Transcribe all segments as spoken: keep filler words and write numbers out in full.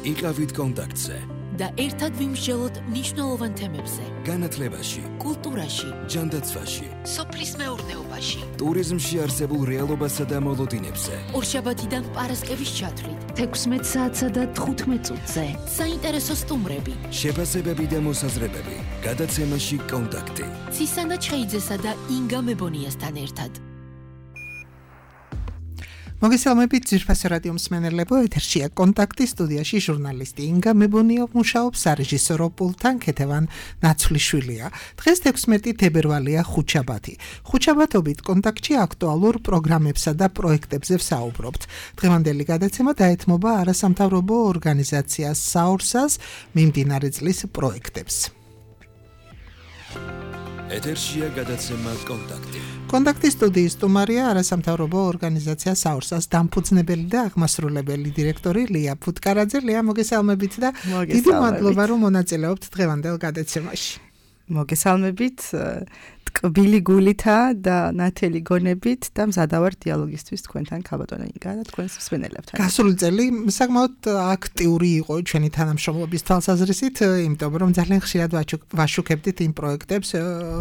იყავით კონტაქტზე და ერთად ვიმსჯელოთ მნიშვნელოვან თემებზე. განათლებაში, კულტურაში, ჯანდაცვაში, სოფლის მეურნეობაში, ტურიზმში არსებულ რეალობასა და მოლოდინებზე. ორშაბათიდან პარასკევის ჩათვლით, თექვსმეტ საათსა და თხუთმეტ წუთზე. საინტერესო სტუმრები, შეფასებები და მოსაზრებები. გადაცემაში კონტაქტი. ცისანა ჩხეიძესა და ინგა მებონიასთან ერთად. მოგესალმებით ძვირფასი რადიო მსმენელებო, ეთერშია კონტაქტი, სტუდიაში ჟურნალისტი ინგა მებონია მუშაობს, სარეჟისორო პულტთან ქეთევან ნაცვლიშვილია. დღეს თექვსმეტი თებერვალია, ხუთშაბათი. ხუთშაბათობით კონტაქტში აქტუალურ პროგრამებსა და პროექტებზე ვსაუბრობთ. დღევანდელი გადაცემა დაეთმობა არასამთავრობო ორგანიზაცია საორსას მიმდინარე წლის პროექტებს. ეთერშია გადაცემა კონტაქტი. კონტაქტის სტუდიის სტუმარია არასამთავრობო ორგანიზაცია საორსას დამფუძნებელი და აღმასრულებელი დირექტორი ლია ფუტკარაძე. ლია, მოგესალმებით და დიდი მადლობა რომ მონაწილეობთ დღევანდელ გადაცემაში. მოგესალმებით, ტკბილი გულითა და ნათელი გონებით და მზადავარ დიალოგისთვის თქვენთან ქალბატონო ინგა და თქვენს მსმენელებთან. გასული წელი საკმაოდ აქტიური იყო ჩვენი თანამშრომლობის თვალსაზრისით, იმიტომ რომ ძალიან ხშირად ვაშუქებდით იმ პროექტებს,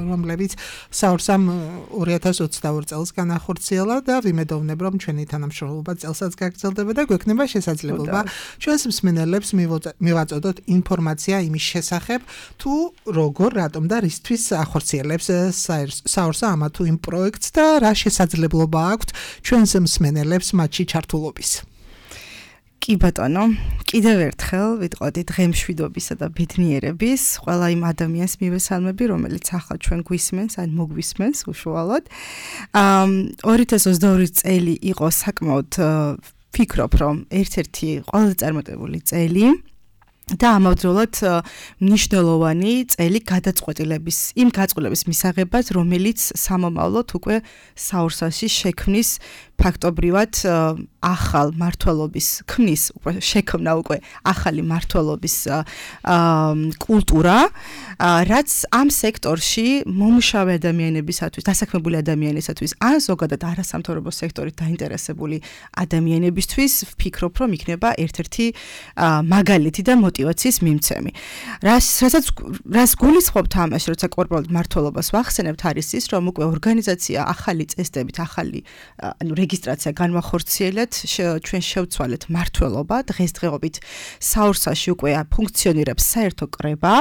რომლებიც საორსამ ორი ათას ოცდაორი წელს განახორციელა და ვიმედოვნებ რომ ჩვენი თანამშრომლობა წელსაც გაგრძელდება და გვექნება შესაძლებლობა ჩვენს მსმენელებს მივაწოდოთ ინფორმაცია იმის შესახებ, თუ როგორ, რატომ და რისთვის ახორციელებს საორსა ამა თუ იმ პროექტს და რა შესაძლებლობა აქვს ჩვენს მსმენელებს მათში ჩართულობის. კი ბატონო, კიდევ ერთხელ ვიტყოდი დღემშვიდობისა და ბედნიერების ყველა იმ ადამიანს მივესალმები, რომელიც ახლა ჩვენ გვისმენს, ან მოგვისმენს უშუალოდ. ორი ათას ოცდაორი წელი იყო საკმაოდ ვფიქრობ, რომ ერთ-ერთი ყველაზე წარმატებული წელი და ამავდროულად მნიშვნელოვანი წელი გადაწყვეტილების, იმ გაწყვეტილების მისაღებად, რომელიც სამომავლოდ უკვე საორსაში შექმნის ფაქტობრივად ახალ მართლობის ქმნის, უკვე შექმნა უკვე ახალი მართლობის კულტურა, რაც ამ სექტორში მომუშავე ადამიანებისათვის, დასაქმებული ადამიანებისათვის, ან ზოგადად არასამთავრობო სექტორით დაინტერესებული ადამიანებისთვის ვფიქრობ, რომ იქნება ერთ-ერთი მაგალითი და მოტივაციის მიმცემი. რასაც რას გულისხმობთ ამაში, როცა კორპორატულ მართლობას ვახსენებთ, არის ის, რომ უკვე ორგანიზაცია ახალი წესდებით, ახალი ანუ რეგისტრაცია განვახორციელეთ, ჩვენ შევცვალეთ მართლობა, დღესდღეობით საორსაში უკვე ფუნქციონირებს საერთო კრება,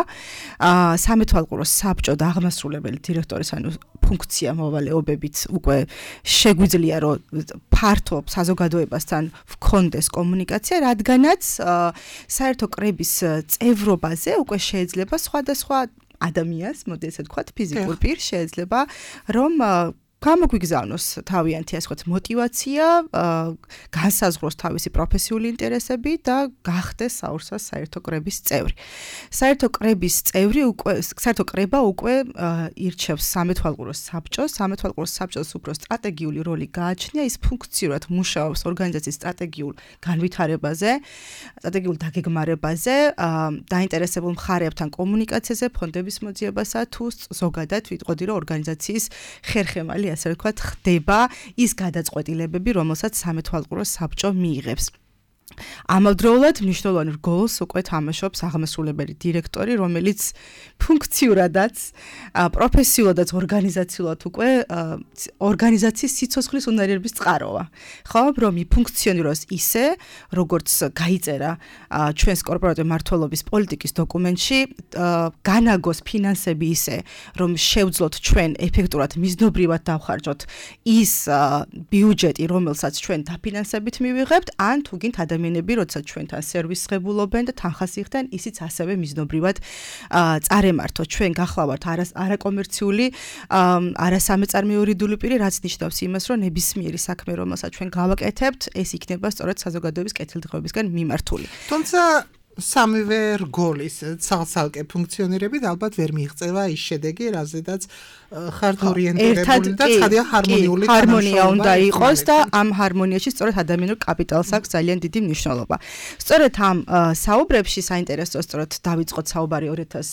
სამეთვალყურო საბჭო და აღმასრულებელი დირექტორის ანუ ფუნქცია მოვალეობებით უკვე შეგვიძლია რომ ფართო საზოგადოებასთან ვქონდეს კომუნიკაცია, რადგანაც საერთო კრების წევრობაზე უკვე შეიძლება სხვადასხვა ადამიანს, მოდი ესე ვთქვათ, ფიზიკურ პირს შეიძლება რომ გამოგვიგზავნოს თავიანთი ასე ვთქვათ მოტივაცია, განსაზღვროს თავისი პროფესიული ინტერესები და გახდეს საორსას საერთო კრების წევრი. საერთო კრების წევრი უკვე საერთო კრება უკვე ირჩევს სამეთვალყურო საბჭოს, სამეთვალყურო საბჭოს უფრო სტრატეგიული როლი გააჩნია, ის ფუნქციურად მუშაობს ორგანიზაციის სტრატეგიულ განვითარებაზე, სტრატეგიულ დაგეგმარებაზე, დაინტერესებულ მხარეებთან კომუნიკაციაზე, ფონდების მოძიებასა თუ ზოგადად ვიტყოდი რომ ორგანიზაციის ხერხემალი ასე ვთქვათ, ხდება ის გადაწყვეტილებები, რომელსაც სამეთვალყურო საბჭო მიიღებს. ამავდროულად მნიშვნელოვან როლს უკვე თამაშობს აღმასრულებელი დირექტორი, რომელიც ფუნქციურადაც, პროფესიულადაც, ორგანიზაციულად უკვე ორგანიზაციის სიცოცხლის უნარიერების წყაროა. ხო, რომ ფუნქციონიროს ისე, როგორც გაიწერა ჩვენს კორპორატული მართლობის პოლიტიკის დოკუმენტში, განაგოს ფინანსები ისე, რომ შევძლოთ ჩვენ ეფექტურად მიზნობრივად დავხარჯოთ ის ბიუჯეტი, რომელსაც ჩვენ დაფინანსებით მივიღებთ, ან თუ გინდ ადამიანები როცა ჩვენთან სერვისს ღებულობენ და თანხას იხდენ, ისიც ასევე მიზნობრივად წარემართო. ჩვენ გახლავართ არაკომერციული, არასამეწარმეორიდული პირი, რაც ნიშნავს იმას, რომ ნებისმიერი საქმე, რომელსაც ჩვენ გავაკეთებთ, ეს იქნება სწორედ საზოგადოების კეთილდღეობისგან მიმართული. თუმცა სამივე რგოლის ცალ-ცალკე ფუნქციონირებით ალბათ ვერ მიიღწევა ის შედეგი, რაზედაც ხართ ორიენტირებული და ცხადია ჰარმონიული ჰარმონია უნდა იყოს და ამ ჰარმონიაში სწორედ ადამიანურ კაპიტალს აქვს ძალიან დიდი მნიშვნელობა. სწორედ ამ საუბრებში საინტერესო სწორედ დავიწყოთ საუბარი ორი ათას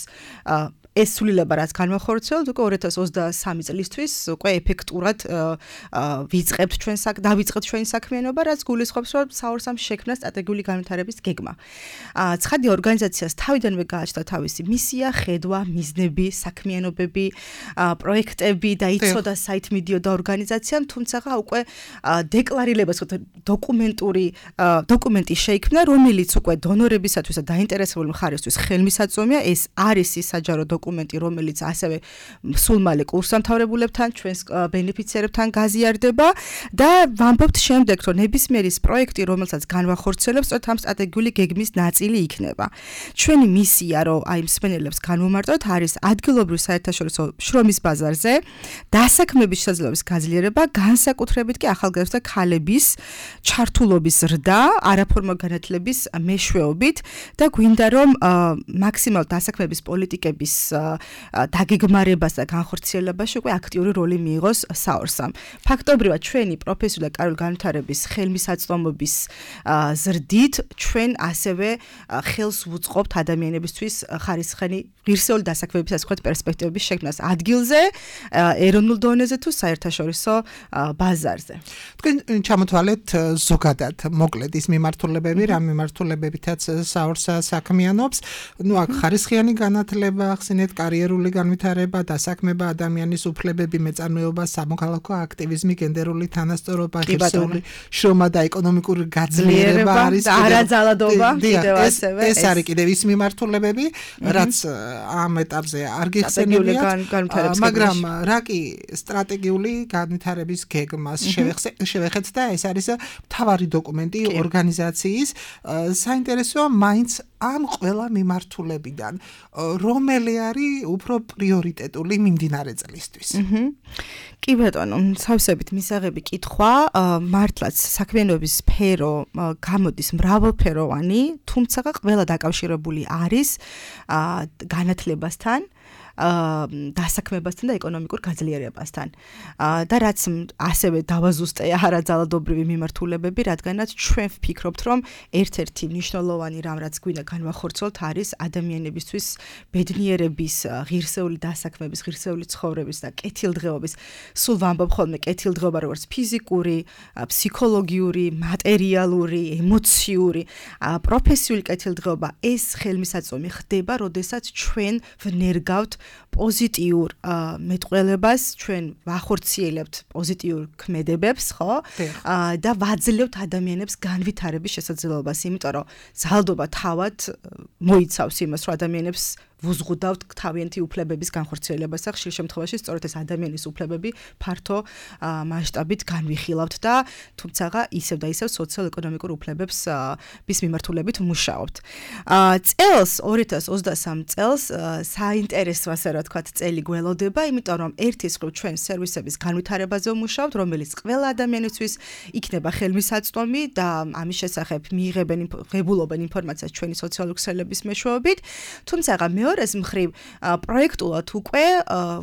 ეს სულილება რაც განვახორციელოთ უკვე ორი ათას ოცდასამი წლისთვის უკვე ეფექტურად ვიწყებთ ჩვენ საკ დავიწყებთ ჩვენი საქმიანობა, რაც გულისხმობს, რომ საორსამ შექმნა სტრატეგიული განვითარების გეგმა. ცხადი ორგანიზაციას თავიდანვე გააჩნდა თავისი მისია, ხედვა, მიზნები, საქმიანობები, პროექტები და იცოდა საით მიდიოდა ორგანიზაციამ, თუმცა უკვე დეკლარირებას დოკუმენტური დოკუმენტი შეიქმნა, რომელიც უკვე დონორებისათვის და დაინტერესებული მხარისთვის ხელმისაწვდომია. ეს არის ის საჯარო დოკუმენტი, რომელიც ასევე სულ მალე კურსდამთავრებულებთან, ჩვენს ბენეფიციარებთან გაზიარდება და ვამბობთ შემდეგ, რომ ნებისმიერი პროექტი, რომელსაც განვახორციელებთ, სწორედ ამ სტრატეგიული გეგმის ნაწილი იქნება. ჩვენი მისია, რომ აი მსმენელებს განვომარტოთ, არის ადგილობრივ საერთაშორისო შრომის ბაზარზე დასაქმების შესაძლებლობის გაძლიერება, განსაკუთრებით კი ახალგაზრდა ქალების ჩართულობის ზრდა, არაფორმალ განათლების მეშვეობით და გვინდა რომ მაქსიმალ დასაქმების პოლიტიკების დაგეგმარებას და განხორციელებაში უკვე აქტიური როლი მიიღოს საორსამ. ფაქტობრივად ჩვენი პროფესიული და კარიერული განვითარების ხელმისაწვდომობის ზრდით ჩვენ ასევე ხელს ვუწყობთ ადამიანებისთვის ხარისხიანი ღირსეული დასაქმების ასეთ პერსპექტივების შექმნას ადგილზე, ეროვნულ დონეზე თუ საერთაშორისო ბაზარზე. თქვენ ჩამოთვალეთ ზოგადად მოკლედ ის მიმართულებები, რა მიმართულებებითაც საორსა საქმიანობს, ну აქ ხარისხიანი განათლება, ახსენეთ კარიერული განვითარება, დასაქმება, ადამიანის უფლებები, მეწარმეობა, სამოქალაქო აქტივიზმი, გენდერული თანასწორობა, ღირსეული შრომა და ეკონომიკური გაძლიერება არის არაძალადობა კიდევ ასევე. ეს არის კიდევ ის მიმართულებები, რაც ამ ეტაპზე არ გიხსენებიათ, მაგრამ რა კი სტრატეგიული განვითარების გეგმას შევეხეთ და ეს არის მთავარი დოკუმენტი ორგანიზაციის. საინტერესოა მაინც ამ ყველა მიმართულებიდან რომელი არის უფრო პრიორიტეტული მიმდინარე წლისთვის. კი ბატონო, სავსებით მისაღები კითხვა, მართლაც საქმიანობის სფერო გამოდის მრავალფეროვანი, თუმცა ყველა დაკავშირებული არის განათლებასთან, დასაქმებასთან და ეკონომიკურ გაძლიერებასთან. და რაც ასევე დავაზუსტე არაძალადობრივი მიმართულებები, რადგანაც ჩვენ ვფიქრობთ, რომ ერთ-ერთი მნიშვნელოვანი რამ, რაც გვინდა განვახორციელოთ, არის ადამიანებისთვის ბედნიერების, ღირსეული დასაქმების, ღირსეული ცხოვრების და კეთილდღეობის. სულ ვამბობ ხოლმე კეთილდღეობა როგორც ფიზიკური, ფსიქოლოგიური, მატერიალური, ემოციური, პროფესიული კეთილდღეობა ეს ხელმისაწვდომი ხდება, როდესაც ჩვენ ვნერგავთ პოზიტიურ მეტყველებას, ჩვენ ვახორციელებთ პოზიტიურ ქმედებებს, ხო? და ვაძლევთ ადამიანებს განვითარების შესაძლებლობას, იმიტომ რომ ძალადობა თავად მოიცავს იმას, რომ ადამიანებს ვუზღუდავთ თავიანთი უფლებების განხორციელებას და ხშირ შემთხვევაში სწორედ ეს ადამიანის უფლებები ფართო მასშტაბით განვიხილავთ და თუმცა ისევ და ისევ სოციალ-ეკონომიკურ უფლებებს bis მიმართულებით ვმუშაობთ. წელს ორი ათას ოცდასამი წელს საინტერესო ასე რა თქვა წელი გველოდება, იმიტომ რომ ერთის მხრივ ჩვენ სერვისების განვითარებაზე ვმუშაობთ, რომელიც ყველა ადამიანისთვის იქნება ხელმისაწვდომი და ამის შესახებ მიიღებენ ღებულობენ ინფორმაციას ჩვენი სოციალური ქსელების მეშვეობით, თუმცა მეორეს მხრივ პროექტულად უკვე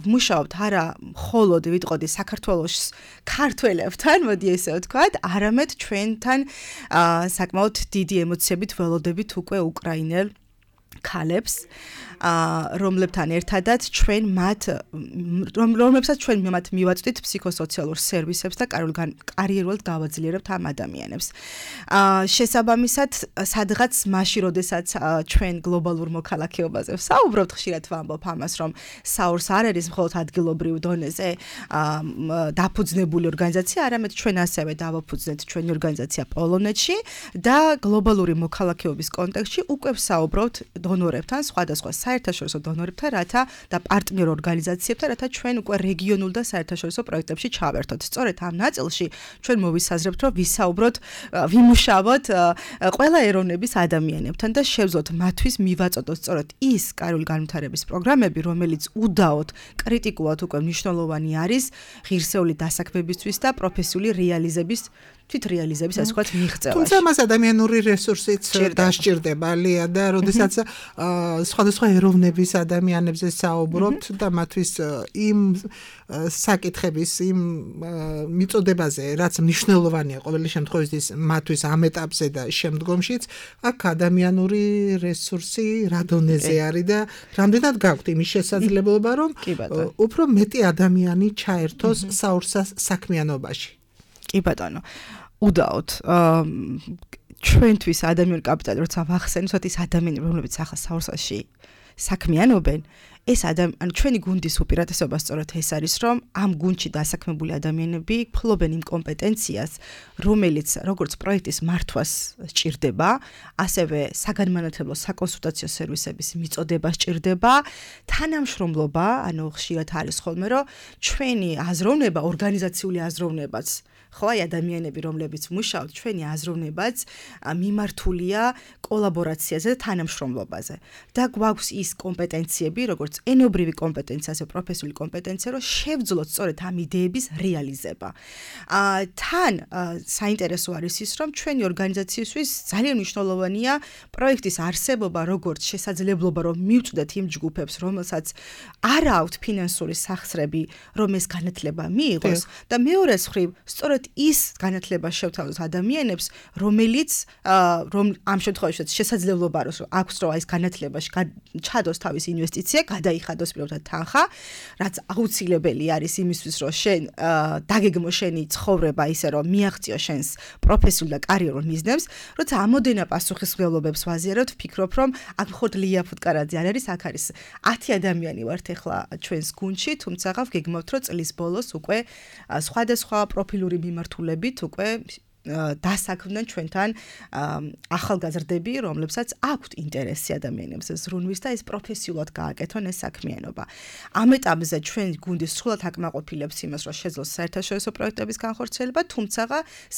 ვმუშაობთ არა მხოლოდ ვიტყოდი საქართველოს ქართველებთან, მოდი ესე ვთქვათ, არამედ ჩვენთან საკმაოდ დიდი ემოციებით ველოდებით უკვე უკრაინელ ქალებს, რომლებთან ერთადაც ჩვენ მათ რომლებსაც ჩვენ მათ მივაწვდით ფსიქოსოციალურ სერვისებს და კარიერულად გავაძლიერებთ ამ ადამიანებს. შესაბამისად, სადღაც მაშინ, როდესაც ჩვენ გლობალურ მოქალაქეობაზე ვსაუბრობთ, ხშირად ვამბობ ამას, რომ საორს არ არის მხოლოდ ადგილობრივ დონეზე დაფუძნებული ორგანიზაცია, არამედ ჩვენ ასევე დავაფუძნეთ ჩვენი ორგანიზაცია პოლონეთში და გლობალური მოქალაქეობის კონტექსტში უკვე ვსაუბრობთ დონორებთან, სხვადასხვა საერთაშორისო დონორებთან, რათა და პარტნიორ ორგანიზაციებთან, რათა ჩვენ უკვე რეგიონულ და საერთაშორისო პროექტებში ჩავერთოთ. სწორედ ამ ნაწილში ჩვენ მოვისაზრებთ, რომ ვისაუბროთ, ვიმუშავოთ ყველა ეროვნების ადამიანებთან და შევძლოთ მათთვის მივაწოდოთ სწორედ ის კარიერული განვითარების პროგრამები, რომელიც უდაოდ კრიტიკულად უკვე მნიშვნელოვანი არის ღირსეული დასაქმებისთვის და პროფესიული რეალიზების თვით რეალიზების ასე ვთქვათ მიღწევაში. თუმცა მას ადამიანური რესურსიც დასჭირდება ლია და როდესაც სხვადასხვა ეროვნების ადამიანებზე საუბრობთ და მათთვის იმ საკითხების იმ მიწოდებაზე რაც მნიშვნელოვანია ყოველი შემთხვევაში მათთვის ამ ეტაპზე და შემდგომშიც აქ ადამიანური რესურსი რა დონეზე არის და რამდენად გაქვთ იმის შესაძლებლობა რომ უფრო მეტი ადამიანი ჩაერთოს საურსას საქმიანობაში. კი ბატონო. უდაოდ ჩვენთვის ადამიანური კაპიტალი როცა ვახსენოთ ის ადამიანები რომლებიც ახლა საურსაში საქმიანობენ ეს ადამიანი ანუ ჩვენი გუნდის უპირატესობა სწორედ ეს არის რომ ამ გუნდში დასაქმებული ადამიანები ფლობენ იმ კომპეტენციას რომელიც როგორც პროექტის მართვას სჭირდება ასევე საგანმანათლებლო საკონსულტაციო სერვისების მიწოდება სჭირდება თანამშრომლობა ანუ ხშირად არის ხოლმე რომ ჩვენი აზროვნება ორგანიზაციული აზროვნებაც ხო აი ადამიანები რომლებიც მუშაობთ ჩვენი აზროვნებაც მიმართულია კოლაბორაციაზე და თანამშრომლობაზე და გვაქვს ის კომპეტენციები როგორც ენობრივი კომპეტენცია ასე პროფესიული კომპეტენცია რომ შევძლოთ სწორედ ამ იდეების რეალიზება. თან საინტერესო არის ის რომ ჩვენი ორგანიზაციისთვის ძალიან მნიშვნელოვანია პროექტის არსებობა როგორც შესაძლებლობა რომ მივწვდეთ იმ ჯგუფებს რომელსაც არ აქვთ ფინანსური სახსრები რომ ეს განათლება მიიღოს და მეორე მხრივ სწორედ ის განათლება შევთავაზოთ ადამიანებს, რომელიც რომ ამ შემთხვევაში შესაძლებლობა აქვს რომ ეს განათლებაში ჩადოს თავის ინვესტიცია, გადაიხადოს პირობითად თანხა, რაც აუცილებელი არის იმისთვის, რომ შენ დაგეგმო შენი ცხოვრება ისე რომ მიაღწიო შენს პროფესიულ და კარიერულ მიზნებს, როცა ამოდენა პასუხისმგებლობებს ვაზიარებთ, ვფიქრობ რომ აქ მხოლოდ ლია ფუტკარაძე არ არის, აქ არის ათი ადამიანი ვართ ახლა ჩვენს გუნდში, თუმცა ვგეგმავთ რომ წლის ბოლოს უკვე სხვადასხვა პროფილური მიმართულებით უკვე დასაქმდნენ ჩვენთან ახალგაზრდები, რომლებსაც აქვთ ინტერესი ადამიანებს ზრუნვის და ეს პროფესიულად გააკეთონ ეს საქმიანობა. ამ ეტაპზე ჩვენ გუნდი სრულად აკმაყოფილებს იმას, რომ შეძლოს საერთაშორისო პროექტების განხორციელება, თუმცა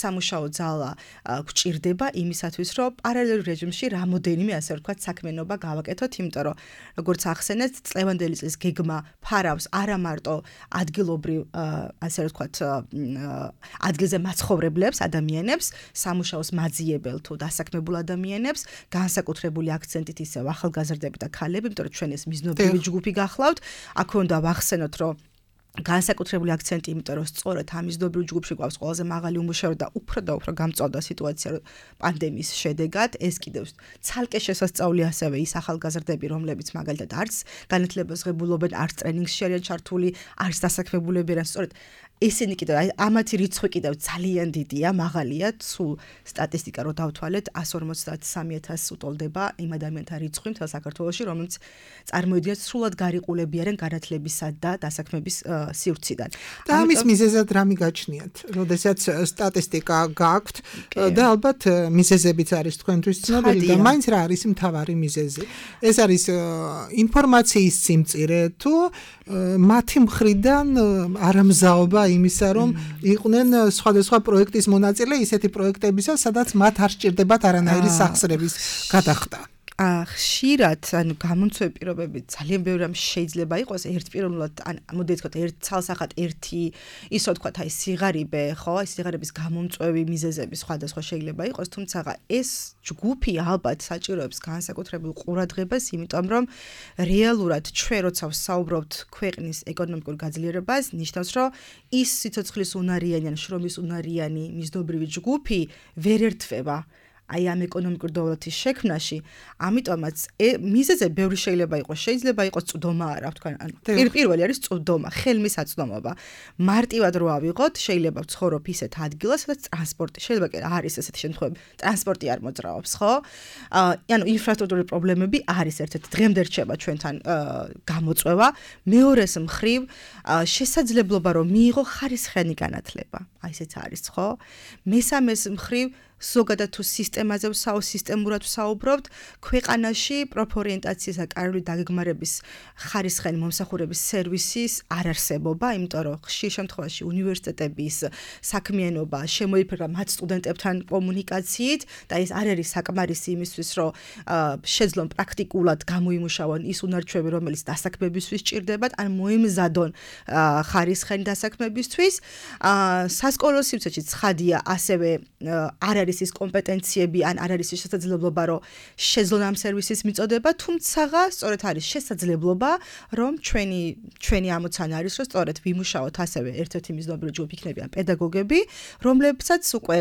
სამუშაო ძალა გვჭირდება იმისათვის, რომ პარალელურ რეჟიმში რამოდენიმე ასე ვთქვათ საქმიანობა გავაკეთოთ, იმიტომ რომ როგორც ახსენეთ, წლევანდელი წლის გეგმა ფარავს არა მარტო ადგილობრივ ასე ვთქვათ ადგილზე მაცხოვრებლებს ადამიანებს სამუშაოს მაძიებელ თუ დასაქმებულ ადამიანებს განსაკუთრებული აქცენტით ისევ ახალგაზრდები და ქალები, იმიტომ რომ ჩვენ ეს მიზნობრივი ჯგუფი გახლავთ, აქ უნდა ვახსენოთ რომ განსაკუთრებული აქცენტი, იმიტომ რომ სწორედ ამ მიზნობრივ ჯგუფში გვაქვს ყველაზე მაღალი უმუშევრობა და უფრო და უფრო გამწვავდა სიტუაცია პანდემიის შედეგად, ეს კიდევ ცალკე შესასწავლი ასევე ის ახალგაზრდები, რომლებიც მაგალითად არც განათლებას ღებულობენ, არც ტრენინგში არიან ჩართული, არც დასაქმებულები არიან, სწორედ ესენი კიდევ ამათი რიცხვი კიდევ ძალიან დიდია, მაღალია, სულ სტატისტიკა რო დავთვალეთ, εκατს ორმოცდათსამი ათასს უტოლდება იმ ადამიანთა რიცხვი მთელ საქართველოში, რომელიც წარმოიდგინეთ სრულად გარიყულები არიან განათლებისა და დასაქმების სივრციდან. და ამის მიზეზად რა მიგაჩნიათ? როდესაც სტატისტიკა გაქვთ და ალბათ მიზეზებიც არის თქვენთვის ცნობილი და მაინც რა არის მთავარი მიზეზი? ეს არის ინფორმაციის სიმწირე თუ მათი მხრიდან არამზაობა იმისა, რომ იყვნენ სხვადასხვა პროექტის მონაწილე ისეთი პროექტებისა, სადაც მათ არ სჭირდებათ არანაირი სახსრების გადახდა. ხშირად, ანუ გამომწვევი პირობები ძალიან ბევრი რამ შეიძლება იყოს ერთპიროვნულად, ან მოდით ვთქვათ, ერთ ცალსახად ერთი ისო ვთქვათ, აი სიღარიბე, ხო, აი სიღარიბის გამომწვევი მიზეზები სხვადასხვა შეიძლება იყოს, თუმცა ეს ჯგუფი ალბათ საჭიროებს განსაკუთრებულ ყურადღებას, იმიტომ რომ რეალურად ჩვენ როცა ვსაუბრობთ ქვეყნის ეკონომიკურ გაძლიერებას, ნიშნავს, რომ ის სიცოცხლის უნარიანი ან შრომის უნარიანი მიზნობრივი ჯგუფი ვერ ერთვება აი ამ ეკონომიკურ დოვლათის შექმნაში, ამიტომაც მიზეზი ბევრი შეიძლება იყოს, შეიძლება იყოს წვდომა რა ვთქვა, ანუ პირველი არის წვდომა, ხელმისაწვდომობა. მარტივად რო ავიღოთ, შეიძლება ვცხოვრობ ისეთ ადგილას, სადაც ტრანსპორტი, შეიძლება კი არის ესეთი შემთხვევები, ტრანსპორტი არ მოძრაობს, ხო? ანუ ინფრასტრუქტურული პრობლემები არის ერთ-ერთი დღემდე რჩება ჩვენთან გამოწვევა, მეორეს მხრივ შესაძლებლობა რომ მიიღო ხარისხიანი განათლება. აი ესეც არის, ხო? მესამეს მხრივ ზოგადად თუ სისტემაზე ვსაუბრობ, სისტემურად ვსაუბრობთ, ქვეყანაში პროფორიენტაციის და კარული დაგეგმარების ხარისხიანი მომსახურების სერვისის არ არსებობა, იმიტომ რომ ხშირ შემთხვევაში უნივერსიტეტების საქმიანობა შემოიფერა მათ სტუდენტებთან კომუნიკაციით და ეს არ არის საკმარისი იმისთვის, რომ შეძლონ პრაქტიკულად გამოიმუშავონ ის უნარჩვები, რომელიც დასაქმებისთვის სჭირდებათ, ან მოემზადონ ხარისხიანი დასაქმებისთვის. სასკოლო სივრცეში ცხადია, ასევე არ არის ის კომპეტენციები, ან არ არის ის შესაძლებლობა, რომ შეძლონ ამ სერვისის მიწოდება, თუმცა სწორედ არის შესაძლებლობა, რომ ჩვენი ჩვენი ამოცანა არის, რომ სწორედ ვიმუშაოთ ასევე ერთ-ერთი მიზნობრივი ჯგუფი იქნებიან პედაგოგები, რომლებსაც უკვე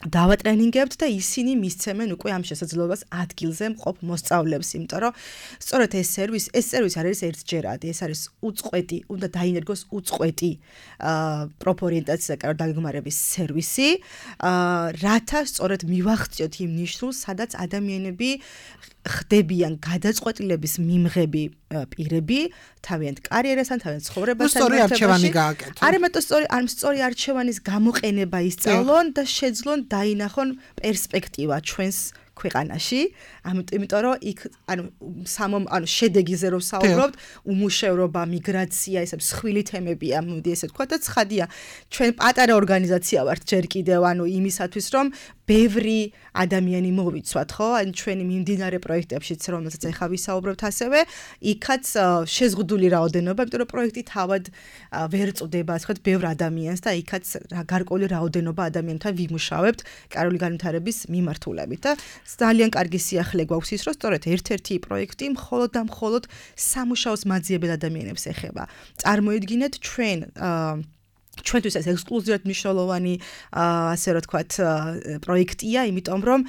დავატრენინგებთ და ისინი მისცემენ უკვე ამ შესაძლებლობას ადგილზე მყოფ მოსწავლეებს, იმიტომ რომ სწორედ ეს სერვისი, ეს სერვისი არ არის ერთჯერადი, ეს არის უწყვეტი, უნდა დაინერგოს უწყვეტი პროფორიენტაციის და კარული დაგეგმარების სერვისი, რათა სწორედ მივახციოთ იმ ნიშნულს, სადაც ადამიანები ხდებიან გადაწყვეტილების მიმღები პირები თავიანთ კარიერასთან, თავიანთ ცხოვრებასთან. სწორი არჩევანი გააკეთონ. არ ამიტომ სწორი, ამ სწორი არჩევანის გამოყენება ისწავლონ და შეძლონ დაინახონ პერსპექტივა ჩვენს ქვეყანაში, იმიტომ რომ იქ ანუ სამომ ანუ შედეგიზე რომ საუბრობთ, უმუშევრობა, მიგრაცია, ესე მსხვილი თემებია, მოდი ესე ვთქვა და ცხადია, ჩვენ პატარა ორგანიზაცია ვართ ჯერ კიდევ, ანუ იმისათვის რომ ბევრი ადამიანი მოვიცვათ, ხო? ან ჩვენი მიმდინარე პროექტებშიც, რომელსაც ახლა ვისაუბრებთ ასევე, იქაც შეზღუდული რაოდენობა, იმიტომ რომ პროექტი თავად ვერ წვდება, ასე ვთქვათ, ბევრ ადამიანს და იქაც გარკვეული რაოდენობა ადამიანთან ვიმუშავებთ კარული განვითარების მიმართულებით და ძალიან კარგი სიახლე გვაქვს ის, რომ სწორედ ერთ-ერთი პროექტი მხოლოდ და მხოლოდ სამუშაოს მაძიებელ ადამიანებს ეხება. წარმოიდგინეთ ჩვენ ჩვენთვის ეს ექსკლუზიურად მნიშვნელოვანი ასე რომ ვთქვათ პროექტია, იმიტომ რომ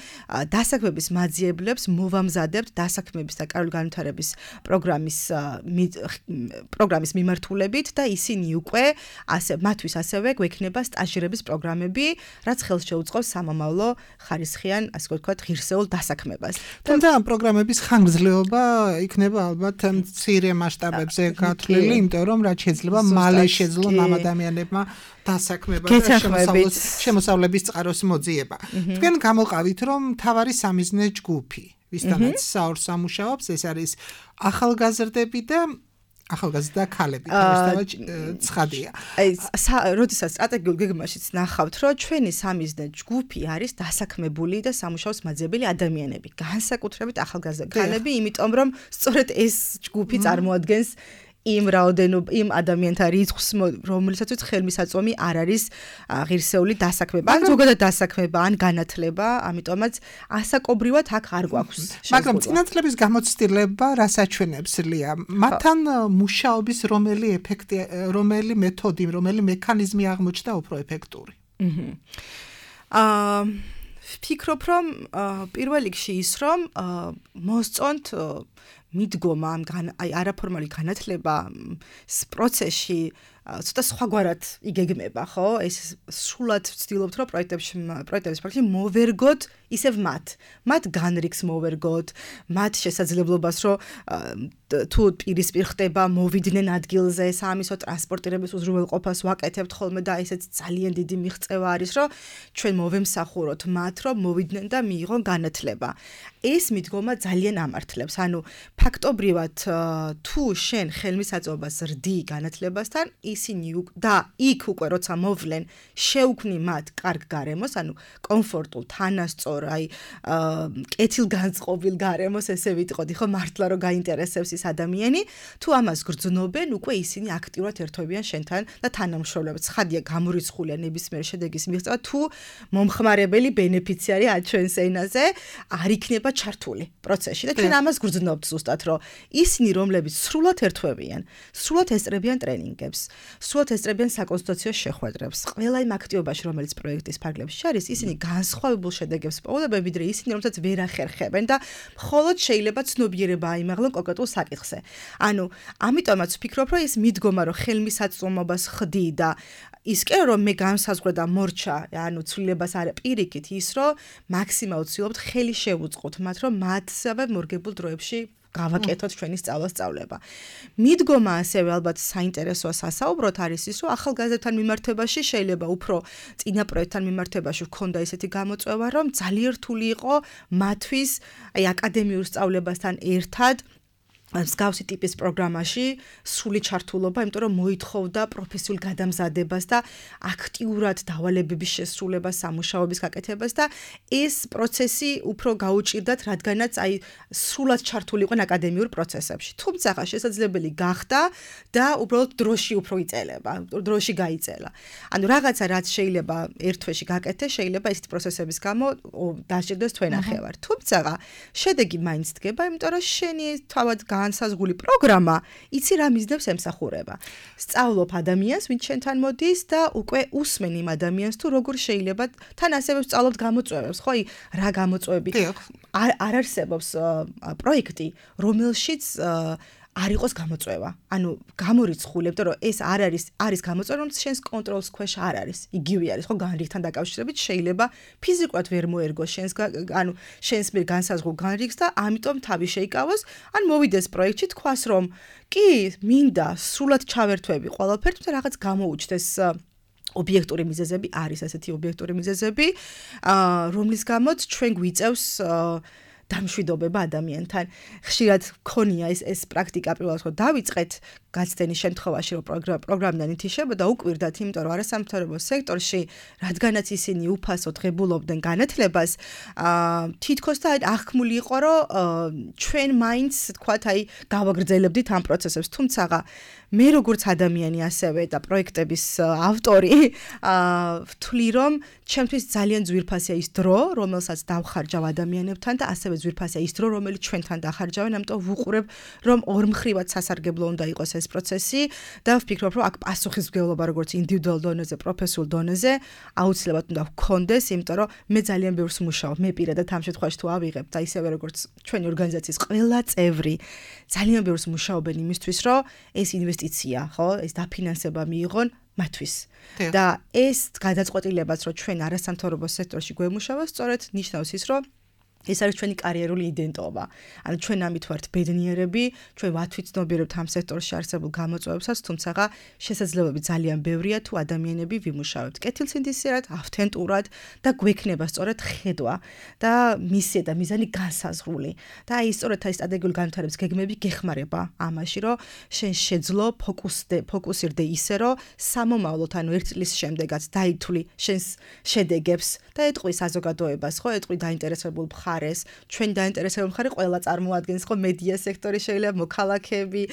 დასაქმების მაძიებლებს მოვამზადებთ დასაქმების და კარული განვითარების პროგრამის პროგრამის მიმართულებით და ისინი უკვე ასე მათთვის ასევე გვექნება სტაჟირების პროგრამები, რაც ხელს შეუწყობს სამომავლო ხარისხიან, ასე ვთქვათ, ღირსეულ დასაქმებას. თუმცა ამ პროგრამების ხანგრძლივობა იქნება ალბათ მცირე მასშტაბებზე გათვლილი, იმიტომ რომ რაც შეიძლება მალე შეძლონ ამ ადამიანებმა დასაქმება და შემოსავლების წყაროს მოძიება. თქვენ გამოყავით, რომ მთავარი სამიზნე ჯგუფი, ვისთანაც საორს ამუშავებს, ეს არის ახალგაზრდები და ახალგაზრდა ქალები, თავისთავად ცხადია. აი, როდესაც სტრატეგიულ გეგმაშიც ნახავთ, რომ ჩვენი სამიზნე ჯგუფი არის დასაქმებული და სამუშაოს მაძიებელი ადამიანები, განსაკუთრებით ახალგაზრდა ქალები, იმიტომ რომ სწორედ ეს ჯგუფი წარმოადგენს იმ რაოდენობა, იმ ადამიანთა რიცხვს, რომელსაც ხელმისაწვდომი არ არის ღირსეული დასაქმება, ან ზოგადად დასაქმება, ან განათლება, ამიტომაც ასაკობრივად აქ არ გვაქვს. მაგრამ წინათლების გამოცდილება რას აჩვენებს, ლია? მათთან მუშაობის რომელი ეფექტი, რომელი მეთოდი, რომელი მექანიზმი აღმოჩნდა უფრო ეფექტური? აა ვფიქრობ, რომ პირველ რიგში ის, რომ მოსწონთ მიდგომა ამ აი არაფორმალი განათლება პროცესში ცოტა სხვაგვარად იგეგმება, ხო? ეს სრულად ვცდილობთ, რომ პროექტებში პროექტების პროცესში მოვერგოთ ისევ მათ. მათ განრიგს მოვერგოთ, მათ შესაძლებლობას, რომ თუ პირისპირ ხდება მოვიდნენ ადგილზე, სამისო ტრანსპორტირების უზრუნველყოფას ვაკეთებთ ხოლმე და ესეც ძალიან დიდი მიღწევა არის, რომ ჩვენ მოვემსახუროთ მათ, რომ მოვიდნენ და მიიღონ განათლება. ეს მიდგომა ძალიან ამართლებს. ანუ ფაქტობრივად თუ შენ ხელმისაწვდომას რდი განათლებასთან, ისინი და იქ უკვე როცა მოვლენ, შეუქმნი მათ კარგ გარემოს, ანუ კომფორტულ, თანასწორ, აი კეთილგანწყობილ გარემოს, ესე ვიტყოდი, ხო, მართლა რომ გაინტერესებს ის ადამიანი, თუ ამას გრძნობენ, უკვე ისინი აქტიურად ერთვებიან შენთან და თანამშრომლობენ. ცხადია, გამორიცხულია ნებისმიერ შედეგის მიღწევა, თუ მომხმარებელი ბენეფიციარი ჩვენს ენაზე არ იქნება ჩართული პროცესში და ჩვენ ამას გრძნობთ ზუსტად, რომ ისინი, რომლებიც სრულად ერთვებიან, სრულად ესწრებიან ტრენინგებს, სრულად ესწრებიან საკონსულტაციო შეხვედრებს, ყველა იმ აქტივობაში, რომელიც პროექტის ფარგლებში არის, ისინი განსხვავებულ შედეგებს პოულებენ, ვიდრე ისინი, რომელსაც ვერ ახერხებენ და მხოლოდ შეიძლება ცნობიერება აიმაღლონ კონკრეტულ საკითხზე. ანუ, ამიტომაც ვფიქრობ, რომ ეს მიდგომა, რომ ხელმისაწვდომობას ხდი და ის კი რომ მე განსაზღვრე და მორჩა, ანუ ცვლილებას არ პირიქით ის, რომ მაქსიმალურად ვცდილობთ ხელი შევუწყოთ მათ, რომ მათსავე მორგებულ დროებში გავაკეთოთ ჩვენი სწავლა-სწავლება. მიდგომა ასევე ალბათ საინტერესოა სასაუბროთ არის ის, რომ ახალგაზრდებთან მიმართებაში შეიძლება უფრო წინა პროექტთან მიმართებაში ვქონდა ესეთი გამოწვევა, რომ ძალიან რთული იყო მათთვის აი აკადემიურ სწავლებასთან ერთად მსგავსი ტიპის პროგრამაში სრული ჩართულობა, იმიტომ რომ მოითხოვდა პროფესიულ გადამზადებას და აქტიურად დავალებების შესრულებას, სამუშაოების გაკეთებას და ეს პროცესი უფრო გაუჭირდათ, რადგანაც აი სრულად ჩართული იყვნენ აკადემიურ პროცესებში. თუმცა შესაძლებელი გახდა და უბრალოდ დროში უფრო იწელება, დროში გაიწელა. ანუ რაღაცა რაც შეიძლება ერთ თვეში გაკეთდეს, შეიძლება ესეთი პროცესების გამო დასჭირდეს თვენახევარ. თუმცა შედეგი მაინც დგება, იმიტომ რომ შენი თავად განსაზღვრული პროგრამა იცი რა მიზნებს ემსახურება. სწავლობ ადამიანს, ვინც შენთან მოდის და უკვე უსმენ იმ ადამიანს თუ როგორ შეიძლება თან ასევე სწავლობთ გამოწვევებს, ხო? რა გამოწვევები არ არსებობს პროექტი, რომელშიც არ იყოს გამოწვევა. ანუ გამორიცხული, იმიტომ რომ ეს არ არის არის გამოწვევა, რომ შენს კონტროლის ქვეშ არ არის. იგივე არის, ხო, განრიგთან დაკავშირებით შეიძლება ფიზიკურად ვერ მოერგოს შენს ანუ შენს მიერ განსაზღვრულ განრიგს და ამიტომ თავი შეიკავოს, ან მოვიდეს პროექტში თქვას, რომ კი, მინდა სრულად ჩავერთვები ყველაფერს, თუმცა რაღაც გამოუჩნდეს ობიექტური მიზეზები არის ასეთი ობიექტური მიზეზები, რომლის გამოც ჩვენ გვიწევს დამშვიდობება ადამიანთან. ხშირად გქონია ეს ეს პრაქტიკა პირველად რომ დავიწყეთ გაცდენის შემთხვევაში რომ პროგრამიდან ითიშებოდა უკვირდათ, იმიტომ რომ არასამთავრობო სექტორში, რადგანაც ისინი უფასო ღებულობდნენ განათლებას, თითქოს და აღქმული იყო, რომ ჩვენ მაინც თქვათ, აი გავაგრძელებდით ამ პროცესებს, თუმცა მე როგორც ადამიანი ასევე და პროექტების ავტორი ვთვლი, რომ ჩემთვის ძალიან ძვირფასია ის დრო, რომელსაც დავხარჯავ ადამიანებთან და ასევე ძვირფასია ის დრო, რომელიც ჩვენთან დახარჯავენ, ამიტომ ვუყურებ, რომ ორმხრივად სასარგებლო უნდა იყოს ეს პროცესი და ვფიქრობ, რომ აქ პასუხისმგებლობა როგორც ინდივიდუალურ დონეზე, პროფესიულ დონეზე აუცილებლად უნდა ვქონდეს, იმიტომ რომ მე ძალიან ბევრს მუშაობ, მე პირადად ამ შემთხვევაში თუ ავიღებ და ისევე როგორც ჩვენი ორგანიზაციის ყველა წევრი ძალიან ბევრს მუშაობენ იმისთვის, რომ ეს ინვესტიცია, ხო, ეს დაფინანსება მიიღონ მათთვის. და ეს გადაწყვეტილებაც, რომ ჩვენ არასამთავრობო სექტორში გვემუშავა, სწორედ ნიშნავს ის, რომ ეს არის ჩვენი კარიერული იდენტობა. ანუ ჩვენ ამით ვართ ბედნიერები, ჩვენ ვათვითცნობიერებთ ამ სექტორში არსებულ გამოწვევებსაც, თუმცა შესაძლებლობები ძალიან ბევრია თუ ადამიანები ვიმუშავებთ კეთილსინდისიერად, ავთენტურად და გვექნება სწორედ ხედვა და მისია და მიზანი განსაზღვრული. და აი სწორედ ეს სტრატეგიული განვითარების გეგმები გეხმარება ამაში, რომ შენ შეძლო ფოკუსდე, ფოკუსირდე ისე, რომ სამომავლოდ, ანუ ერთ წლის შემდეგაც დაითვლი შენს შედეგებს და ეტყვი საზოგადოებას, ხო, ეტყვი დაინტერესებულ მხარეს, ჩვენ დაინტერესებულ მხარე ყველა წარმოადგენს, ხო, მედია სექტორი შეიძლება, მოქალაქეები,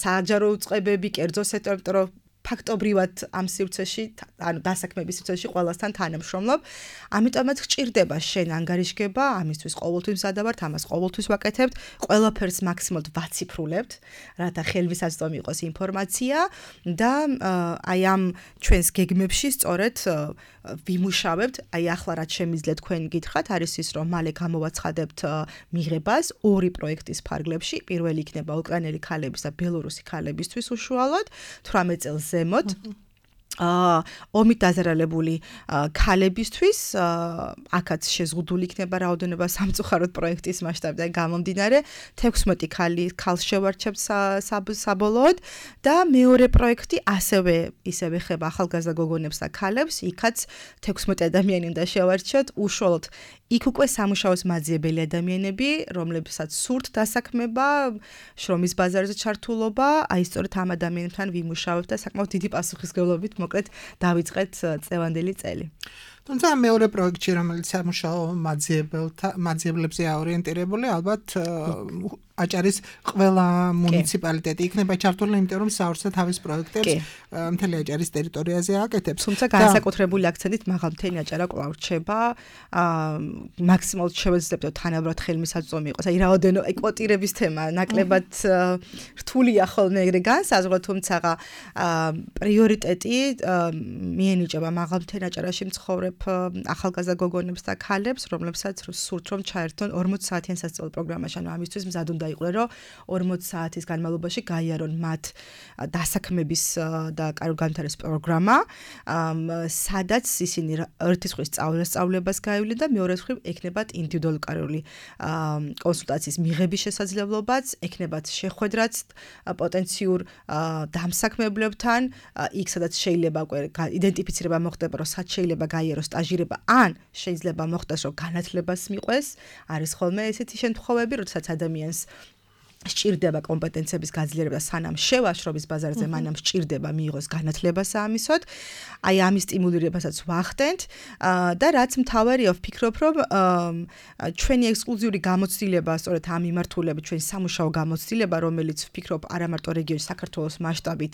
საჯარო უწყებები, კერძო სექტორი, იმიტომ რომ ფაქტობრივად ამ სივრცეში, ანუ დასაქმების სივრცეში ყველასთან თანამშრომლობ. ამიტომაც გჭირდება შენ ანგარიშგება, ამისთვის ყოველთვის მზადა ვართ, ამას ყოველთვის ვაკეთებთ, ყველაფერს მაქსიმალურად ვაციფრულებთ, რათა ხელმისაწვდომი იყოს ინფორმაცია და აი ამ ჩვენს გეგმებში სწორედ ვიმუშავებთ. აი ახლა რაც შემიძლია თქვენ გითხრათ, არის ის, რომ მალე გამოვაცხადებთ მიღებას ორი პროექტის ფარგლებში. პირველი იქნება უკრაინელი ქალების და ბელორუსი ქალებისთვის უშუალოდ თვრამეტ წელს ზემოთ. აა ომით დაზარალებული ქალებისთვის აქაც შეზღუდული იქნება რაოდენობა სამწუხაროდ პროექტის მასშტაბიდან გამომდინარე თექვსმეტი ქალი ქალს შევარჩევთ საბოლოოდ და მეორე პროექტი ასევე ისევე ხება ახალგაზრდა გოგონებს და ქალებს, იქაც თექვსმეტი ადამიანი უნდა შევარჩიოთ, უშუალოდ იქ უკვე სამუშაოს მაძიებელი ადამიანები, რომლებსაც სურთ დასაქმება, შრომის ბაზარზე ჩართულობა, აი სწორედ ამ ადამიანებთან ვიმუშავებთ და საკმაოდ დიდი პასუხისმგებლობით მოკლედ დავიწყეთ წლევანდელი წელი. თუმცა მეორე პროექტი, რომელიც სამუშაო მაძიებლებზე აორიენტირებული, ალბათ აჭარის ყველა მუნიციპალიტეტი იქნება ჩართული, იმიტომ რომ საორცე თავის პროექტებს მთელი აჭარის ტერიტორიაზე აკეთებს. თუმცა განსაკუთრებული აქცენტით მაღალმთიანი აჭარა კვლავ რჩება, მაქსიმალურად შევეძლებთ თანაბრად ხელმისაწვდომი იყოს. აი რაოდენო კვოტირების თემა ნაკლებად რთულია ხოლმე ეგრე განსაზღვრა, თუმცა პრიორიტეტი მიენიჭება მაღალმთიან აჭარაში მცხოვრებ ვისაუბრებ ახალგაზრდა გოგონებს და ქალებს, რომლებსაც სურთ რომ ჩაერთონ ორმოც საათიან სასწავლო პროგრამაში, ანუ ამისთვის მზად უნდა იყვნენ, რომ ორმოც საათის განმავლობაში გაიარონ მათ დასაქმების და განვითარების პროგრამა, სადაც ისინი ერთი ხვის სწავლებას გაივლენ და მეორე ხრივ ექნებათ ინდივიდუალური კონსულტაციის მიღების შესაძლებლობაც, ექნებათ შეხვედრაც პოტენციურ დამსაქმებლებთან, იქ სადაც შეიძლება უკვე იდენტიფიცირება მოხდება, რომ სად შეიძლება გაიაროს სტაჟირება, ან შეიძლება მოხდეს, რომ განათლებას მიყვეს, არის ხოლმე ესეთი შემთხვევები, როდესაც ადამიანს სჭირდება კომპეტენციების გაძლიერება სანამ შევაშრობის ბაზარზე, მანამ სჭირდება მიიღოს განათლება საამისოდ. აი ამის სტიმულირებასაც ვახდენთ და რაც მთავარია, ვფიქრობ, რომ ჩვენი ექსკლუზიური გამოცდილება, სწორედ ამ მიმართულებით, ჩვენი სამუშაო გამოცდილება, რომელიც ვფიქრობ არა მარტო რეგიონის, საქართველოს მასშტაბით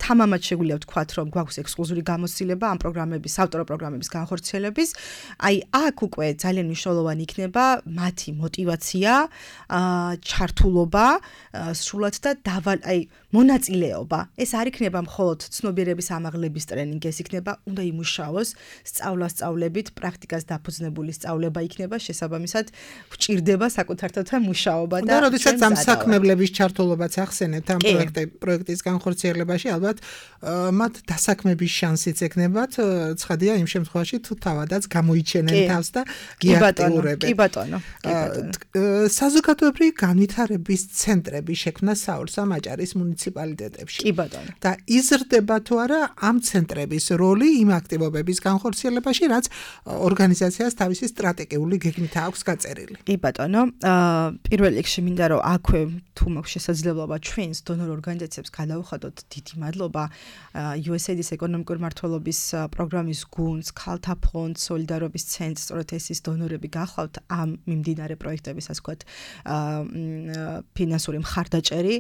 თამამად შეგვიძლია ვთქვათ, რომ გვაქვს ექსკლუზიური გამოცდილება ამ პროგრამების, ავტორო პროგრამების განხორციელების. აი აქ უკვე ძალიან მნიშვნელოვანი იქნება მათი мотиваცია, ჩართულობა სრულად და დავალ აი მონაწილეობა. ეს არ იქნება მხოლოდ ცნობიერების ამაღლების ტრენინგი, ეს იქნება უნდა იმუშაოს სწავლა-სწავლებით, პრაქტიკას დაფუძნებული სწავლება იქნება, შესაბამისად ვჭირდება საკუთარ თვალთან მუშაობა და როდესაც ამ საქმებლების ჩართულობაც ახსენეთ ამ პროექტის განხორციელებაში, ალბათ მათ დასაქმების შანსიც ექნებათ, ცხადია იმ შემთხვევაში თუ თავადაც გამოიჩენენ თავს და გიაქტიურებენ. კი ბატონო, კი ბატონო. საზოგადოებრივი განვითარების ცენტრები შექმნა საურსამ აჭარის მუნიციპალიტეტებში. კი ბატონო. და იზრდება თუ არა ამ ცენტრების როლი იმ აქტივობების განხორციელებაში, რაც ორგანიზაციას თავისი სტრატეგიული გეგმით აქვს გაწერილი. კი ბატონო, პირველ რიგში მინდა რომ აქვე თუ მაქვს შესაძლებლობა ჩვენს დონორ ორგანიზაციებს გადავხადოთ დიდი მადლობა იუ ეს ეი დის ეკონომიკური მმართველობის პროგრამის გუნდს, ქალთა ფონდს, სოლიდარობის ცენტრს, სწორედ ეს ის დონორები გახლავთ ამ მიმდინარე პროექტების, ასე ვთქვათ, ფინანსური მხარდაჭერი.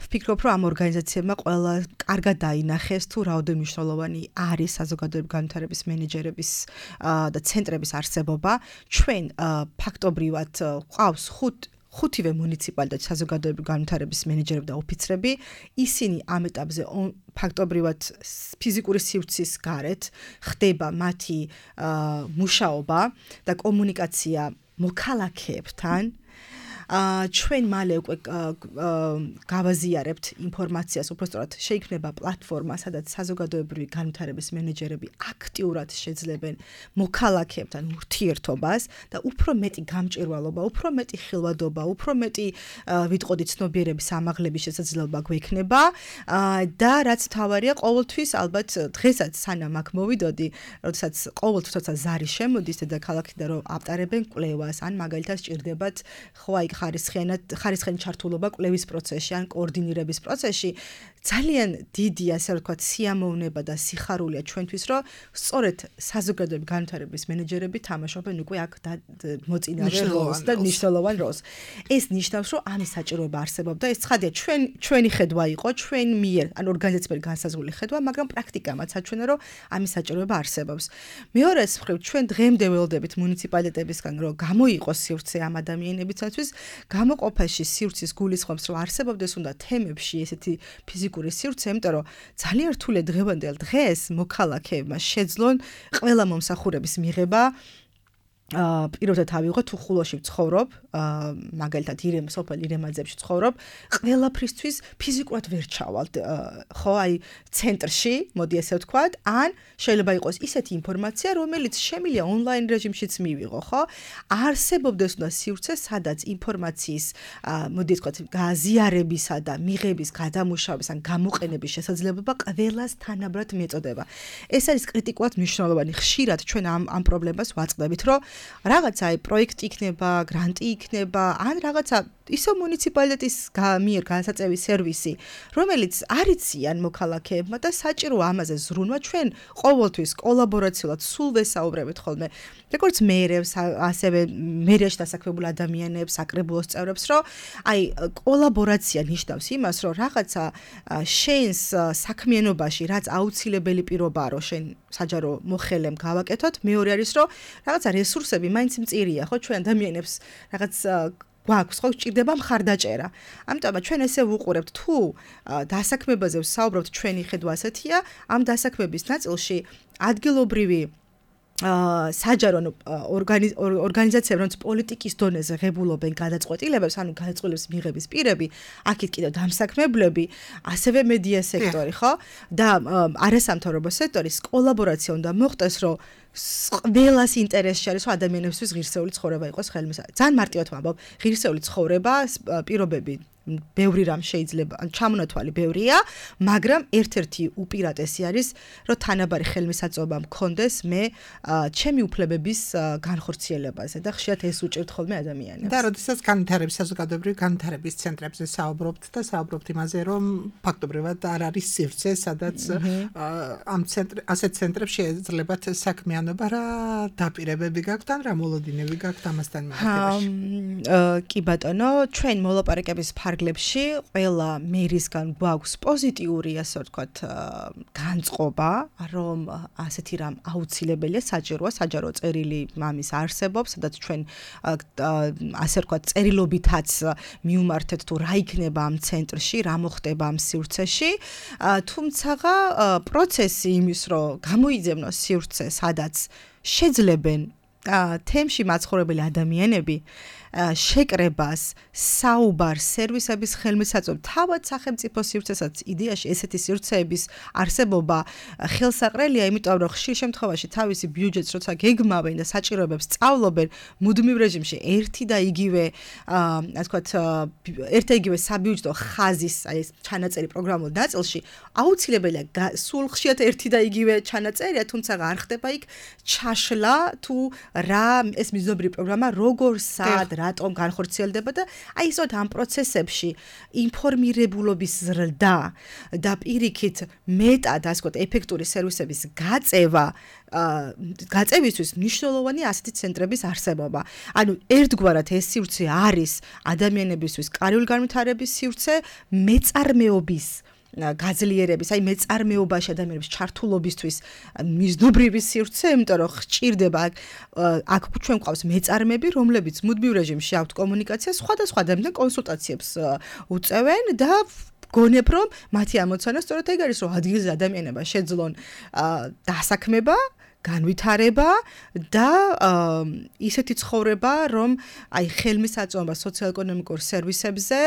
ვფიქრობ, რომ ამ ორგანიზაციებმა ყველა კარგად დაინახეს თუ რაოდენობა მნიშვნელოვანი არის საზოგადოებრივი განვითარების მენეჯერების და ცენტრების არსებობა. ჩვენ ფაქტობრივად ყავს ხუთ ხუთივე მუნიციპალიტეტის საზოგადოებრივი განვითარების მენეჯერები და ოფიცრები. ისინი ამ ეტაპზე ფაქტობრივად ფიზიკური სივრცის გარეთ ხდება მათი მუშაობა და კომუნიკაცია მოქალაქეებთან. ჩვენ მალე უკვე გავაზიარებთ ინფორმაციას, უბრალოდ შეიქმნება პლატფორმა, სადაც საზოგადოებრივი განვითარების მენეჯერები აქტიურად შეძლებენ მოქალაქეებთან ურთიერთობას და უფრო მეტი გამჭვირვალობა, უფრო მეტი ხილვადობა, უფრო მეტი ვიტყოდი ცნობიერების ამაღლების შესაძლებლობა გვექნება და რაც მთავარია, ყოველთვის ალბათ დღესაც სანამ აქ მოვიდოდი, როდესაც ყოველთვის როცა ზარი შემოდის დედაქალაქიდან რომ აპტარებენ კვლევას, ან მაგალითად სჭირდებათ ხო აი ხარისხიანად ხარისხიანი ჩართულობა კვლევის პროცესში ან კოორდინირების პროცესში, ძალიან დიდი, ასე ვთქვათ, სიამოვნება და სიხარულია ჩვენთვის, რომ სწორედ საზოგადოებრივი განვითარების მენეჯერები თამაშობენ უკვე აქ მოწინავე როლს და მნიშვნელოვან როლს. ეს ნიშნავს, რომ ამის საჭიროება არსებობდა. ეს ცხადია, ჩვენ ჩვენი ხედვა იყო, ჩვენ მიერ, ან ორგანიზაციების განსაზღვრული ხედვა, მაგრამ პრაქტიკამაც საჩვენო, რომ ამის საჭიროება არსებობს. მეორე მხრივ, ჩვენ დღემდე ველოდებით მუნიციპალიტეტებისგან, რომ გამოიყოს სივრცე ამ ადამიანებისათვის, გამოყოფაში სივრცის გულისხმობს, რომ არსებობდეს უნდა თემებში ესეთი ფიზიკური სივრცე, იმიტომ რომ ძალიან რთული დღევანდელ დღეს მოქალაქეებმა შეძლონ ყველა მომსახურების მიღება. პირობთა თავი ვიღო თუ ხულოში ვცხოვრობ, მაგალითად ირემ სოფელ ირემაძეებში ვცხოვრობ, ყველაფრისთვის ფიზიკურად ვერ ჩავალთ, ხო, აი ცენტრში, მოდი ესე ვთქვათ, ან შეიძლება იყოს ისეთი ინფორმაცია, რომელიც შემიძლია ონლაინ რეჟიმშიც მივიღო, ხო? არსებობდეს უნდა სივრცე, სადაც ინფორმაციის, მოდი ესე ვთქვათ, გაზიარებისა და მიღების, გადამუშავების ან გამოყენების შესაძლებლობა ყველას თანაბრად მიეწოდება. ეს არის კრიტიკულად მნიშვნელოვანი. ხშირად ჩვენ ამ ამ პრობლემას ვაწყდებით, რომ რაღაცა აი პროექტი იქნება, გრანტი იქნება, ან რაღაცა ისო მუნიციპალიტეტის მიერ განსაწევი სერვისი, რომელიც არიციან მოქალაქეებმა და საჭირო ამაზე ზრუნვა ჩვენ ყოველთვის კოლაბორაციულად სულ ვესაუბრებით ხოლმე. როგორც მერებს, ასევე მერიაში დასაქმებულ ადამიანებს, საკრებულოს წევრებს, რომ აი კოლაბორაცია ნიშნავს იმას, რომ რაღაცა შენს საქმიანობაში, რაც აუცილებელი პირობაა, რომ შენ საჯარო მოხელემ გავაკეთოთ, მეორე არის, რომ რაღაცა რესურსები მაინც მწირია, ხო, ჩვენ ადამიანებს რაღაც გვაქვს, ხო, ჭირდება მხარდაჭერა. ამიტომ ჩვენ ესე ვუყურებთ, თუ დასაქმებაზე ვსაუბრობთ, ჩვენი ხედვა ასეთია, ამ დასაქმების ნაწილში ადგილობრივი საჯარო ორგანიზაციები, რომელიც პოლიტიკის დონეზე ღებულობენ გადაწყვეტილებებს, ანუ გადაწყვეტილების მიღების პირები, აქეთ კიდევ დამსაქმებლები, ასევე მედია სექტორი, ხო? და არასამთავრობო სექტორის კოლაბორაცია უნდა მოხდეს, რომ ყველას ინტერესში არის, რომ ადამიანებისთვის ღირსეული ცხოვრება იყოს ხელმისაწვდომი. ძალიან მარტივად ვამბობ, ღირსეული ცხოვრება, პირობები ბევრი რამ შეიძლება, ჩამონათვალი ბევრია, მაგრამ ერთ-ერთი უპირატესი არის, რომ თანაბარი ხელმისაწვდომა მქონდეს მე ჩემი უფლებების განხორციელებაზე და ხშირად ეს უჭირთ ხოლმე ადამიანებს. და როდესაც განვითარების საზოგადოებრივი განვითარების ცენტრებზე საუბრობთ და საუბრობთ იმაზე, რომ ფაქტობრივად არ არის სივრცე, სადაც ამ ცენტრ ასეთ ცენტრებში შეძლებათ საქმიანობა, რა დაპირებები გაქვთ ან რა მოლოდინები გაქვთ ამასთან მიმართებაში? კი ბატონო, ჩვენ მოლაპარაკების ფარგლებში ყველა მერისგან გვაქვს პოზიტიური, ასე ვთქვათ, განწყობა, რომ ასეთი რამ აუცილებელია, საჭიროა, საჯარო წერილი მამის არსებობს, სადაც ჩვენ ასე ვთქვათ, წერილობითაც მიუმართეთ თუ რა იქნება ამ ცენტრში, რა მოხდება ამ სივრცეში, თუმცა პროცესი იმის, რომ გამოიძებნოს სივრცე, სადაც შეძლებენ თემში მაცხოვრებელი ადამიანები შეკრებას, საუბარს, სერვისების ხელმისაწვდომას, თავად სახელმწიფო სივრცესაც იდეაში ესეთი სივრცეების არსებობა ხელსაყრელია, იმიტომ რომ ხშირ შემთხვევაში თავისი ბიუჯეტს როცა გეგმავენ და საჭიროებებს სწავლობენ მუდმივ რეჟიმში ერთი და იგივე, ასე ვთქვათ, ერთ და იგივე საბიუჯეტო ხაზის, აი ეს ჩანაწერი პროგრამულ ნაწილში, აუცილებელია სულ ხშირად ერთი და იგივე ჩანაწერია, თუმცა არ ხდება იქ ჩაშლა თუ რა ეს მიზნობრივი პროგრამა როგორ სად რატომ განხორციელდება და აი ისოთ ამ პროცესებში ინფორმირებულობის ზრდა და პირიქით მეტად ასე ვთქვათ ეფექტური სერვისების გაწევა გაწევისთვის მნიშვნელოვანი ასეთი ცენტრების არსებობა. ანუ ერთგვარად ეს სივრცე არის ადამიანებისთვის კარგული განვითარების სივრცე, მეწარმეობის გაძლიერების, აი მეწარმეობაში ადამიანების ჩართულობისთვის მიზნობრივი სივრცე, იმიტომ რომ ხჭირდება აქ ჩვენ გვყავს მეწარმეები, რომლებიც მუდმივ რეჟიმში აქვთ კომუნიკაცია, სხვადასხვა ადამიანთან კონსულტაციებს უწევენ და გონებ რომ მათი ამოცანა სწორედ ეგ არის, რომ ადგილზე ადამიანება შეძლონ დასაქმება, განვითარება და ისეთი ცხოვრება, რომ აი ხელმისაწვდომობა სოციალ-ეკონომიკურ სერვისებზე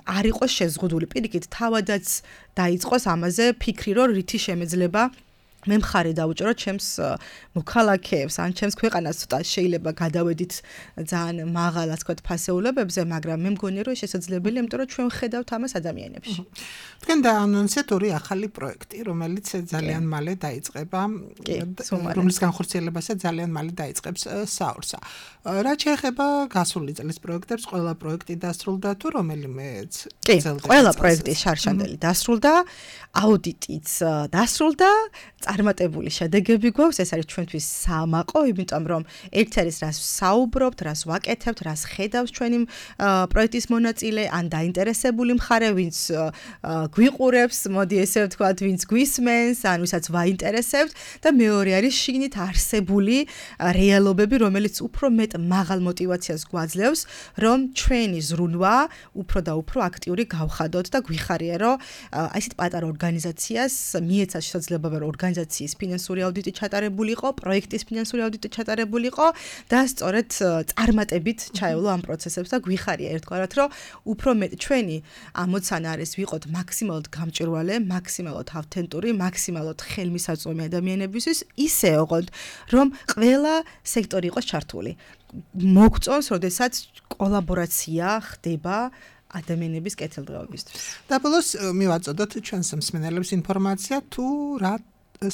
არ იყოს შეზღუდული. პირიქით, თავადაც დაიწყოს ამაზე ფიქრი, რომ რითი შემეძლება მე მხარი დავუჭერო ჩემს მოქალაქეებს, ან ჩემს ქვეყანას ცოტა შეიძლება გადავედით ძალიან მაღალ, ასე ვთქვათ, ფასეულებებზე, მაგრამ მე მგონია, რომ შესაძლებელია, იმიტომ რომ ჩვენ ხედავთ ამას ადამიანებში. თქვენ დაანონსეთ ორი ახალი პროექტი, რომელიც ძალიან მალე დაიწყება, რომლის განხორციელებასაც ძალიან მალე დაიწყებს საორსა. რა შეეხება გასული წლის პროექტებს, ყველა პროექტი დასრულდა თუ რომელიმეც? კი, ყველა პროექტი შარშანდელი დასრულდა, აუდიტიც დასრულდა, წარმატებული შედეგები გვაქვს, ეს არის ჩვენთვის სამაყო, იმიტომ რომ ერთ არის რას საუბრობთ, რას ვაკეთებთ, რას ხედავს ჩვენი პროექტის მონაწილე, ან დაინტერესებული მხარე, ვინც გვიყურებს, მოდი ესე ვთქვათ, ვინც გვისმენს, ან ვისაც ვაინტერესებთ და მეორე არის შიგნით არსებული რეალობები, რომელიც უფრო მეტ მაღალ мотивაციას გვაძლევს, რომ ჩვენი ზრუნვა უფრო და უფრო აქტიური გავხადოთ და გვიხარია, რომ აი ესეთ პატარა ორგანიზაციას მიეცა შესაძლებლობა, რომ ორგანიზაციის ფინანსური აუდიტი ჩატარებულიყო, პროექტის ფინანსური აუდიტი ჩატარებულიყო და სწორედ წარმატებით ჩაევლო ამ პროცესებს და გვიხარია ერთგვარად, რომ უფრო მეტ ჩვენი ამოცანა არის ვიყოთ მაქსიმალურად გამჭვირვალე, მაქსიმალურად ავთენტური, მაქსიმალურად ხელმისაწვდომი ადამიანებისთვის, ისე ოღონდ, რომ ყველა სექტორი იყოს ჩართული. მოგწონს, როდესაც კოლაბორაცია ხდება ადამიანების კეთილდღეობისთვის. და ბოლოს მივაწოდოთ ჩვენს მსმენელებს ინფორმაცია თუ რა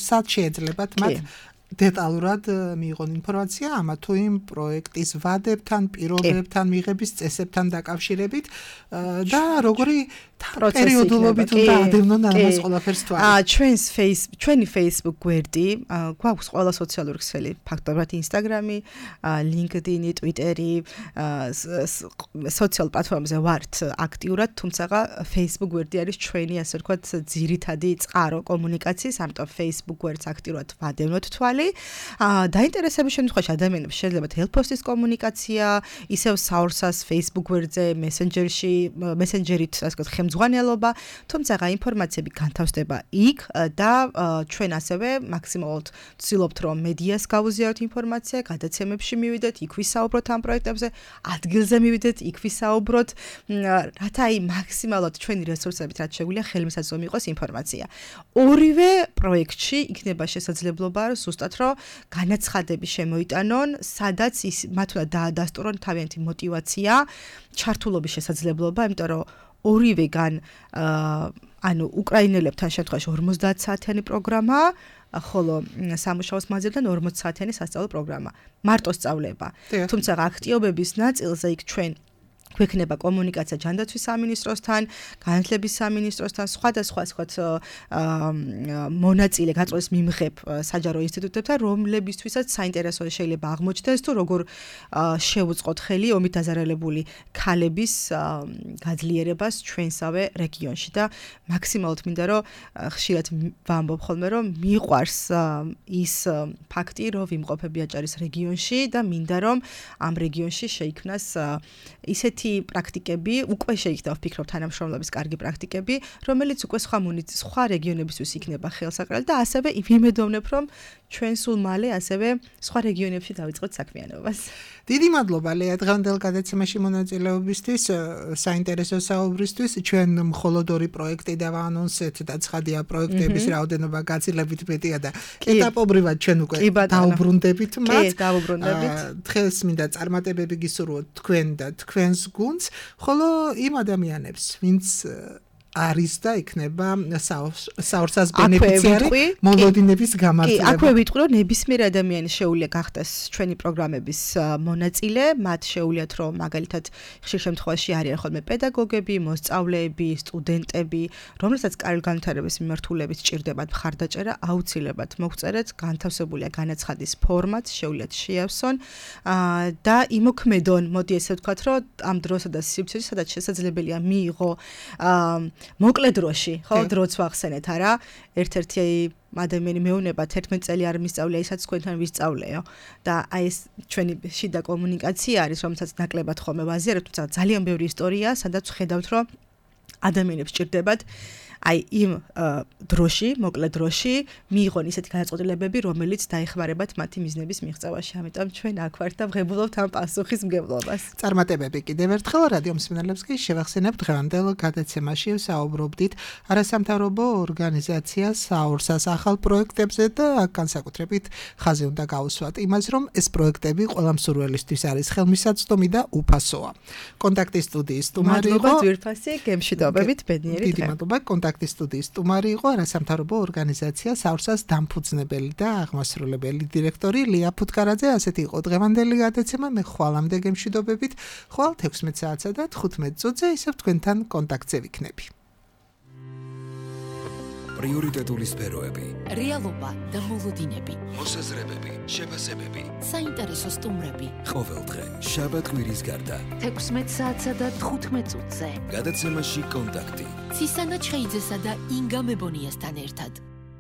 სად შეიძლებათ მათ დეტალურად მიიღონ ინფორმაცია ამა თუ იმ პროექტის ვადებთან, პირობებთან, მიღების წესებთან დაკავშირებით და როგორი პერიოდულობით უნდა ადევნონ ამას ყველაფერს თვალს. აა ჩვენს face ჩვენი Facebook გვერდი, გვაქვს ყველა სოციალური ქსელი, ფაქტობრივად Instagram-ი, LinkedIn-ი, Twitter-ი, სოციალურ პლატფორმებზე ვართ აქტიურად, თუმცა Facebook გვერდი არის ჩვენი, ასე ვთქვათ, ძირითადი წყარო კომუნიკაციის, ამიტომ Facebook გვერდს აქტიურად ვადევნოთ თვალი. მიღწეული. დაინტერესების შემთხვევაში ადამიანებს შეძლებათ ელფოსტის კომუნიკაცია, ისევ საურსას Facebook გვერდზე, Messenger-ში, Messenger-ით, ასე ვთქვათ, ხელმძღვანელობა, თუმცა ინფორმაციები განთავსდება იქ და ჩვენ ასევე მაქსიმალურად ვცდილობთ, რომ მედიას გავუზიაროთ ინფორმაცია, გადაცემებში მივიდეთ, იქ ვისაუბროთ ამ პროექტებზე, ადგილზე მივიდეთ, იქ ვისაუბროთ, რათა აი მაქსიმალურად ჩვენი რესურსებით რაც შეგვიძლია ხელმისაწვდომი იყოს ინფორმაცია. ორივე პროექტში იქნება შესაძლებლობა ზუსტად რომ განაცხადები შემოიტანონ, სადაც ის მათ უნდა დაადასტურონ თავიანთი мотиваცია, ჩართულობის შესაძლებლობა, იმიტომ რომ ორივეგან ანუ უკრაინელებთან შემთხვევაში ორმოცდაათ საათიანი პროგრამაა, ხოლო სამუშაოს მანძილიდან ორმოცი საათიანი სასწავლო პროგრამა. მარტო სწავლება. თუმცა აქტიობების ნაწილზე იქ ჩვენ გვექნება კომუნიკაცია ჯანდაცვის სამინისტროსთან, განათლების სამინისტროსთან, სხვადასხვა სხვა მონაწილე გაწყვეტს მიმღებ საჯარო ინსტიტუტებთან, რომლებისთვისაც საინტერესო შეიძლება აღმოჩნდეს თუ როგორ შევუწყოთ ხელი ომით დაზარალებული ქალების გაძლიერებას ჩვენსავე რეგიონში და მაქსიმალურად მინდა რომ ხშირად ვამბობ ხოლმე რომ მიყვარს ის ფაქტი რომ ვიმყოფები აჭარის რეგიონში და მინდა რომ ამ რეგიონში შეიქმნას ისეთი პრაქტიკები, უკვე შეიძლება ვფიქრობ თანამშრომლობის კარგი პრაქტიკები, რომელიც უკვე სხვა სხვა რეგიონებისთვის იქნება ხელსაყრელი და ასევე ვიმედოვნებ, რომ ჩვენ სულ მალე ასევე სხვა რეგიონებში დავიწყოთ საქმიანობას. დიდი მადლობა ლეა დღევანდელ გადაცემაში მონაწილეობისთვის, საინტერესო საუბრისთვის. ჩვენ მხოლოდ ორი პროექტი დავაანონსეთ და ცხადია პროექტების რაოდენობა გაცილებით მეტია და ეტაპობრივად ჩვენ უკვე დაუბრუნდებით მათ. კი, დაუბრუნდებით. დღეს მინდა წარმატებები გისურვოთ თქვენ და თქვენს გუნდს, ხოლო იმ ადამიანებს, ვინც არის და იქნება საურსას ბენეფიციარი მოლოდინების გამართლება. კი, აქვე ვიტყვი, რომ ნებისმიერ ადამიანს შეუძლია გახდეს ჩვენი პროგრამების მონაწილე, მათ შეუძლიათ, რომ მაგალითად ხშირ შემთხვევაში არიან ხოლმე პედაგოგები, მოსწავლეები, სტუდენტები, რომლებსაც კარგი განვითარების მიმართულებით სჭირდებათ მხარდაჭერა, აუცილებლად მოგწერეთ, განთავსებულია განაცხადის ფორმატ, შეუძლიათ შეავსონ და იმოქმედონ, მოდი ესე ვთქვათ, რომ ამ დროსა და სივრცეში, სადაც შესაძლებელია მიიღო მოკლე დროში, ხო, დროც ვახსენეთ, არა? ერთ-ერთი ადამიანი მეუნება თერთმეტი წელი არ მისწავლია ისაც თქვენთან ვისწავლეო და აი ეს ჩვენი შიდა კომუნიკაცია არის, რომელსაც ნაკლებად ხოლმე ვაზიარებთ, თუმცა ძალიან ბევრი ისტორია, სადაც ხედავთ, რომ ადამიანებს სჭირდებათ აი იმ დროში, მოკლე დროში მიიღონ ისეთი გადაწყვეტილებები, რომელიც დაეხმარებათ მათი მიზნების მიღწევაში. ამიტომ ჩვენ აქ ვართ და ვღებულობთ ამ პასუხისმგებლობას. წარმატებები კიდევ ერთხელ რადიო მსმენელებს კი შევახსენებთ დღევანდელ გადაცემაში ვსაუბრობდით არასამთავრობო ორგანიზაცია საურსას ახალ პროექტებზე და აქ განსაკუთრებით ხაზი უნდა გაუსვათ იმას, რომ ეს პროექტები ყველა მსურველისთვის არის ხელმისაწვდომი და უფასოა. კონტაქტის სტუდიის სტუმარი იყო. მადლობა ძვირფასი გემშვიდობებით ბედნიერი დღე. დიდი მადლობა კონტაქტის სტუდიის სტუმარი იყო არასამთავრობო ორგანიზაცია საურსას დამფუძნებელი და აღმასრულებელი დირექტორი ლია ფუტკარაძე. ასეთი იყო დღევანდელი გადაცემა. მე ხვალამდე გემშვიდობებით. ხვალ თექვსმეტ საათსა და თხუთმეტ წუთზე ისევ თქვენთან კონტაქტზე ვიქნები. პრიორიტეტული სფეროები, რეალობა და მოლოდინები, მოსაზრებები, შეფასებები, საინტერესო სტუმრები. ყოველდღე შაბათ-კვირის გარდა თექვსმეტ საათსა და თხუთმეტ წუთზე. გადაცემაში კონტაქტი. ცისანა ჩხეიძესა და ინგა მებონიასთან ერთად.